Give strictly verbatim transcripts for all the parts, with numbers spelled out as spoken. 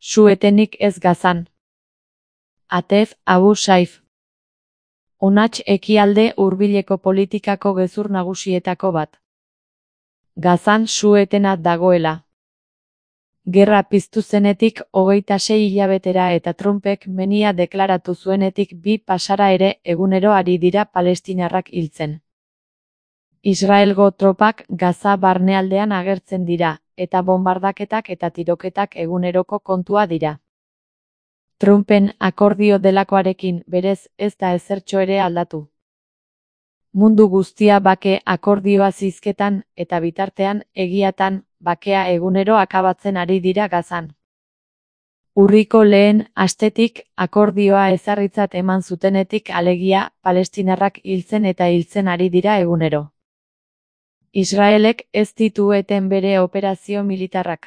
Su-etenik ez Gazan. Atef Abu Saif. Honatz ekialde hurbileko politikako gezur nagusietako bat. Gazan su-etena dagoela. Gerra piztu zenetik hogeita sei hilabetera eta Trumpek menia deklaratu zuenetik bi pasara ere egunero ari dira palestinarrak hiltzen. Israelgo tropak Gaza barnealdean agertzen dira, eta bonbardaketak eta tiroketak eguneroko kontua dira. Trumpen akordio delakoarekin berez ez da ezertxo ere aldatu. Mundu guztia bake akordioa zizketan eta bitartean egiatan bakea egunero akabatzen ari dira Gazan. Urriko lehen astetik akordioa ezarritzat eman zutenetik alegia palestinarrak hiltzen eta hiltzen ari dira egunero. Israelek ez ditu eten bere operazio militarrak.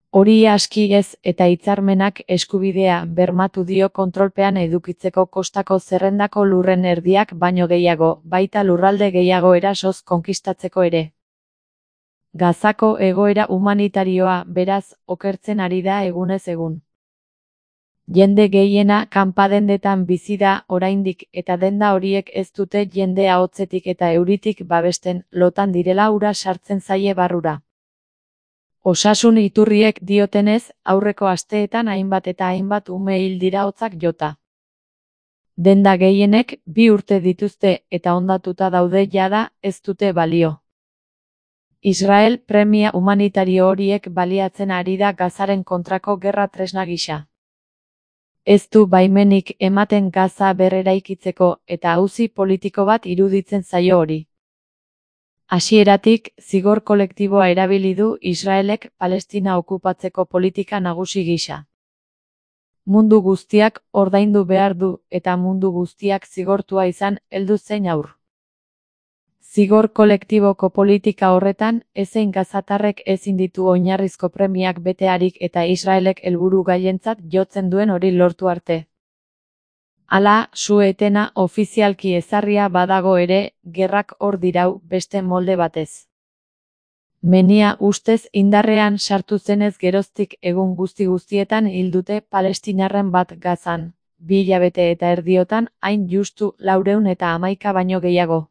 Hori aski ez eta hitzarmenak eskubidea bermatu dio kontrolpean edukitzeko kostako zerrendako lurren erdiak baino gehiago, baita lurralde gehiago erasoz konkistatzeko ere. Gazako egoera humanitarioa beraz okertzen ari da egunez egun. Jende gehiena kanpadendetan bizi da oraindik eta denda horiek ez dute jende ahotsetik eta euritik babesten, lotan direla ura sartzen zaie barrura. Osasun iturriek diotenez, aurreko asteetan hainbat eta hainbat ume hil dira hotzak jota. Denda gehienek bi urte dituzte eta hondatuta daude jada ez dute balio. Israel premia humanitario horiek baliatzen ari da Gazaren kontrako gerra tresna gisa. Ez du baimenik ematen Gaza berreraikitzeko eta auzi politiko bat iruditzen zaio hori. Hasieratik, zigor kolektiboa erabili du Israelek Palestina okupatzeko politika nagusi gisa. Mundu guztiak ordaindu behar du eta mundu guztiak zigortua izan heldu zein aur. Zigor kolektiboko politika horretan, ezein gazatarrek ezin ditu oinarrizko premiak betearik eta Israelek helburu gailentzat jotzen duen hori lortu arte. Hala, su-etena ofizialki ezarria badago ere, gerrak hor dirau beste molde batez. Menia ustez indarrean sartu zenez geroztik egun guzti guztietan hildute palestinarren bat Gazan, bi hilabete eta erdiotan hain justu laurehun eta hamaika baino gehiago.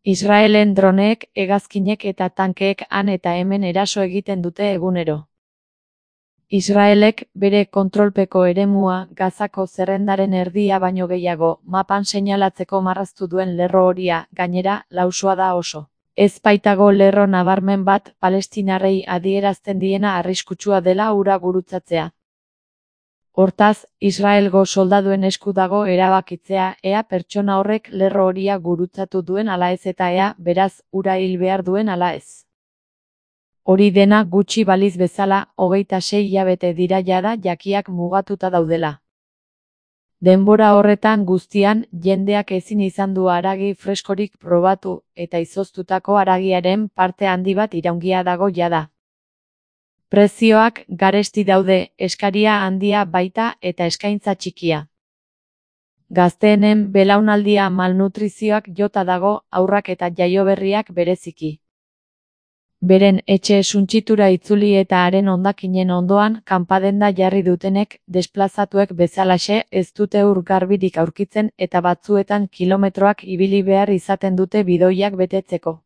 Israelen droneek, hegazkinek eta tankeek han eta hemen eraso egiten dute egunero. Israelek bere kontrolpeko eremua Gazako zerrendaren erdia baino gehiago mapan seinalatzeko marraztu duen lerro horia, gainera, lausoa da oso. Ez baitago lerro nabarmen bat palestinarrei adierazten diena arriskutsua dela hura gurutzatzea. Hortaz, Israelgo soldaduen esku dago erabakitzea ea pertsona horrek lerro horia gurutzatu duen ala ez eta ea, beraz, hura hil behar duen ala ez. Hori dena gutxi baliz bezala, hogeita sei hilabete dira jada jakiak mugatuta daudela. Denbora horretan guztian, jendeak ezin izan du haragi freskorik probatu, eta izoztutako haragiaren parte handi bat iraungia dago jada. Prezioak garesti daude, eskaria handia baita eta eskaintza txikia. Gazteenen belaunaldia malnutrizioak jota dago, haurrak eta jaioberriak bereziki. Beren etxe suntsitura itzuli eta haren hondakinen ondoan kanpadenda jarri dutenek, desplazatuek bezalaxe ez dute ur garbirik aurkitzen eta batzuetan kilometroak ibili behar izaten dute bidoiak betetzeko.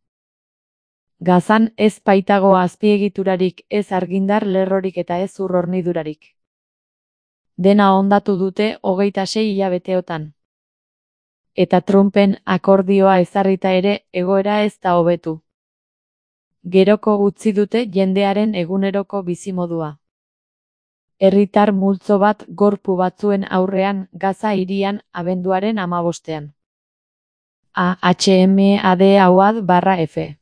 Gazan ez baitago azpiegiturarik, ez argindar lerrorik eta ez ur hornidurarik. Dena hondatu dute hogeita sei hilabeteotan. Eta Trumpen akordioa ezarrita ere egoera ez da hobetu. Geroko utzi dute jendearen eguneroko bizimodua. Herritar multzo bat gorpu batzuen aurrean Gaza hirian abenduaren hamabostean. A H M A D Awad barra F.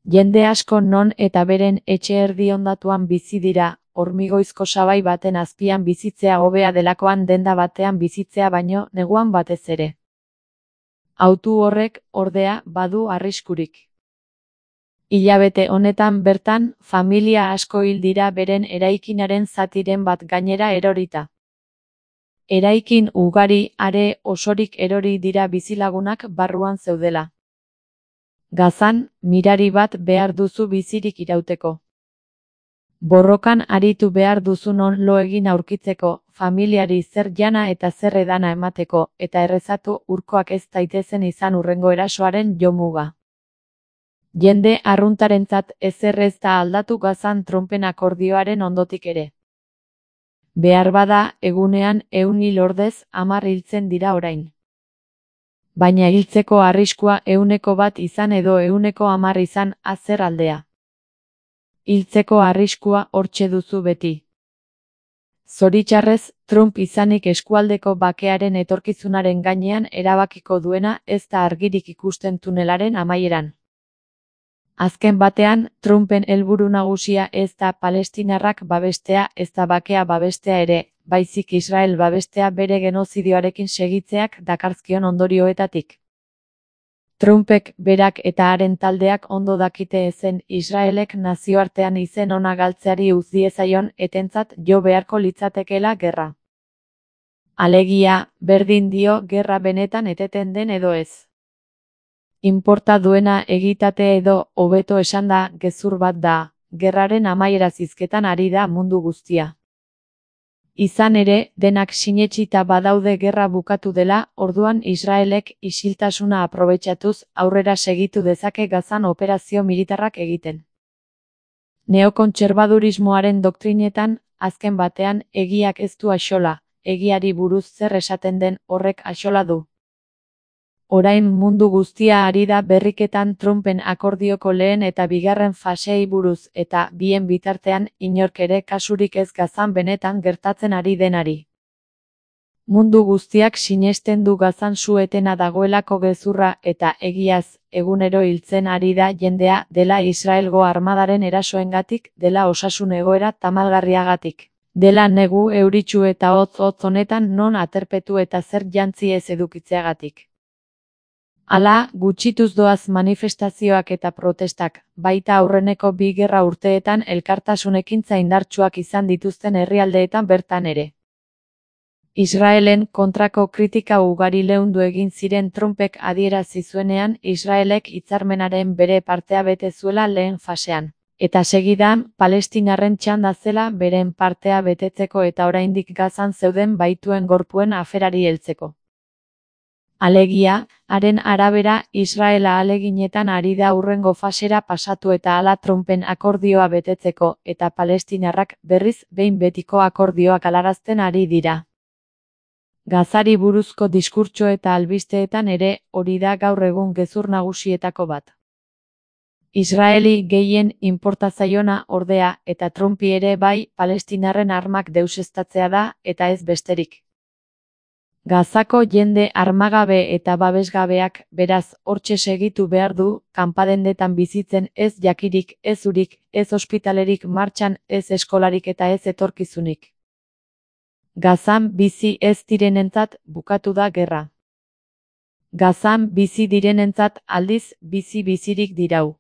Jende asko non eta beren etxe erdi hondatuan bizi dira, hormigoizko sabai baten azpian bizitzea hobea delakoan denda batean bizitzea baino neguan batez ere. Autu horrek, ordea, badu arriskurik. Hilabete honetan bertan, familia asko hil dira beren eraikinaren zatiren bat gainera erorita. Eraikin ugari are osorik erori dira bizilagunak barruan zeudela. Gazan, mirari bat behar duzu bizirik irauteko. Borrokan aritu behar duzun on lo egin aurkitzeko, familiari zer jana eta zer edana emateko, eta errezatu urkoak ez daitezen izan hurrengo erasoaren jomuga. Jende arruntarentzat ezer ez da aldatu Gazan Trumpen akordioaren ondotik ere. Behar bada, egunean ehun hil ordez hamar hiltzen dira orain. Baina hiltzeko arriskua ehuneko bat izan edo ehuneko hamar izan azer aldea. Hiltzeko arriskua hortxe duzu beti. Zoritxarrez, Trump izanik eskualdeko bakearen etorkizunaren gainean erabakiko duena ez da argirik ikusten tunelaren amaieran. Azken batean, Trumpen helburu nagusia ez da palestinarrak babestea ez da bakea babestea ere, baizik Israel babestea bere genozidioarekin segitzeak dakarzkion ondorioetatik. Trumpek berak eta haren taldeak ondo dakite ezen Israelek nazioartean izen ona galtzeari utz diezaion etentzat jo beharko litzatekeela gerra. Alegia, berdin dio gerra benetan eteten den edo ez. Inporta duena egitate edo, hobeto esanda, gezur bat da, gerraren amaiera zizketan ari da mundu guztia. Izan ere, denak sinetsita badaude gerra bukatu dela, orduan Israelek isiltasuna aprobetxatuz aurrera segitu dezake Gazan operazio militarrak egiten. Neokontserbadurismoaren doktrinetan, azken batean, egiak ez du axola, egiari buruz zer esaten den horrek axola du. Orain mundu guztia ari da berriketan Trumpen akordioko lehen eta bigarren faseei buruz eta bien bitartean inork ere kasurik ez Gazan benetan gertatzen ari denari. Mundu guztiak sinesten du Gazan su-etena dagoelako gezurra eta egiaz, egunero hiltzen ari da jendea dela Israelgo armadaren erasoengatik, dela osasun egoera tamalgarriagatik, dela negu euritsu eta hotz-hotz honetan non aterpetu eta zer jantzi ez edukitzeagatik. Hala, gutxituz doaz manifestazioak eta protestak, baita aurreneko bi gerra urteetan elkartasunekintza indartsuak izan dituzten herrialdeetan bertan ere. Israelen kontrako kritika ugari leundu egin ziren Trumpek adierazi zuenean Israelek hitzarmenaren bere partea bete zuela lehen fasean, eta segidan Palestinarren txanda zela beren partea betetzeko eta oraindik Gazan zeuden baituen gorpuen aferari heltzeko. Alegia, haren arabera Israel ahaleginetan ari da hurrengo fasera pasatu eta hala Trumpen akordioa betetzeko eta palestinarrak berriz behin betiko akordioak galarazten ari dira. Gazari buruzko diskurtso eta albisteetan ere hori da gaur egun gezur nagusietako bat. Israeli gehien inporta zaiona ordea eta Trumpi ere bai palestinarren armak deuseztatzea da eta ez besterik. Gazako jende armagabe eta babesgabeak, beraz, hortxe segitu behar du, kanpadendetan bizitzen ez jakirik, ez urik, ez ospitalerik martxan, ez eskolarik eta ez etorkizunik. Gazan bizi ez direnentzat bukatu da gerra. Gazan bizi direnentzat aldiz bizi bizirik dirau.